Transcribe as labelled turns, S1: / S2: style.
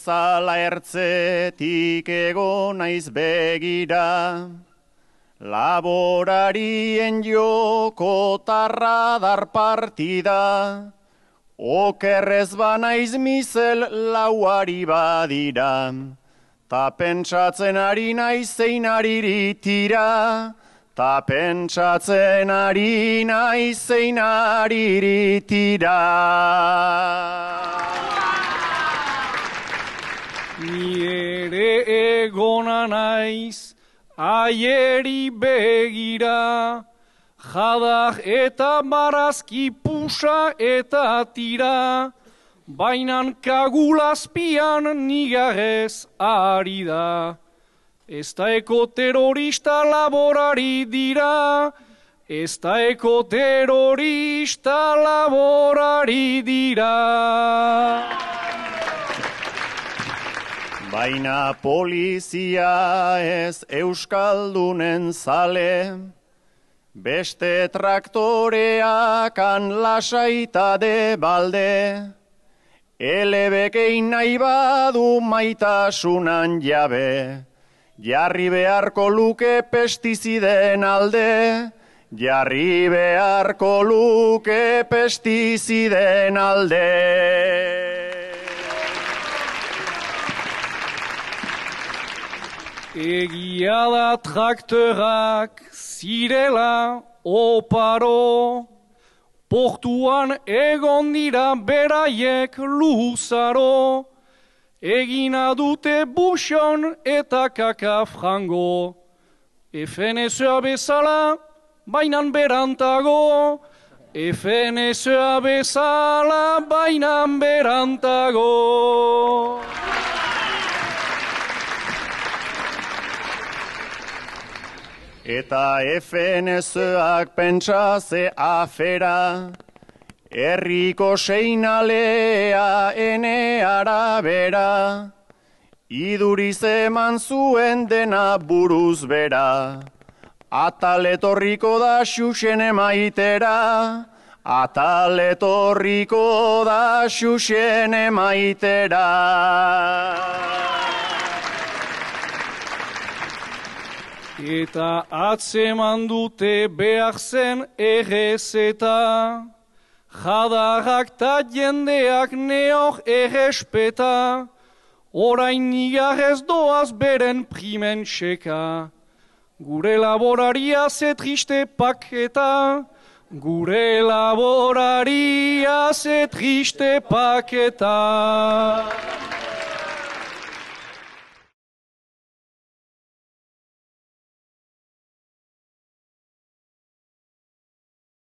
S1: bezala ertzetik ego naiz begira. Laborarien jokotarra dar partida, okerrez banaiz mizel lauari badira. Ta pentsatzen ari naiz zein ariri tira, ta pentsatzen ari naiz zein ariri tira.
S2: Ni ere egona naiz, aieri begira, jadak eta barazki pusa eta tira, bainan kagulazpian nigarez ari da. Ez da eko terrorista laborari dira, ez da eko terrorista laborari dira.
S1: Baina polizia ez euskaldunen zale, beste traktoreakan lasaita de balde, elebekein nahi badu maitasunan jabe, jarri beharko luke pestiziden alde, jarri beharko luke pestiziden alde.
S2: Egia da traktorak zirela oparo, portuan egon dira beraiek luzaro, egina dute buxon eta kaka frango. FNSA bezala, bainan berantago, FNSA bezala, bainan berantago.
S1: Eta FNSak pentsa ze afera, herriko seinalea ene arabera, iduriz eman zuen dena buruz bera, ataletorriko da xuxen emaitera, ataletorriko da xuxen emaitera.
S2: Eta atzeman dute behar zen errezeta, jadarrak ta jendeak neok errespeta, orain nigarrez doaz beren primen txeka. Gure laboraria ze triste paketa, gure laboraria ze triste paketa.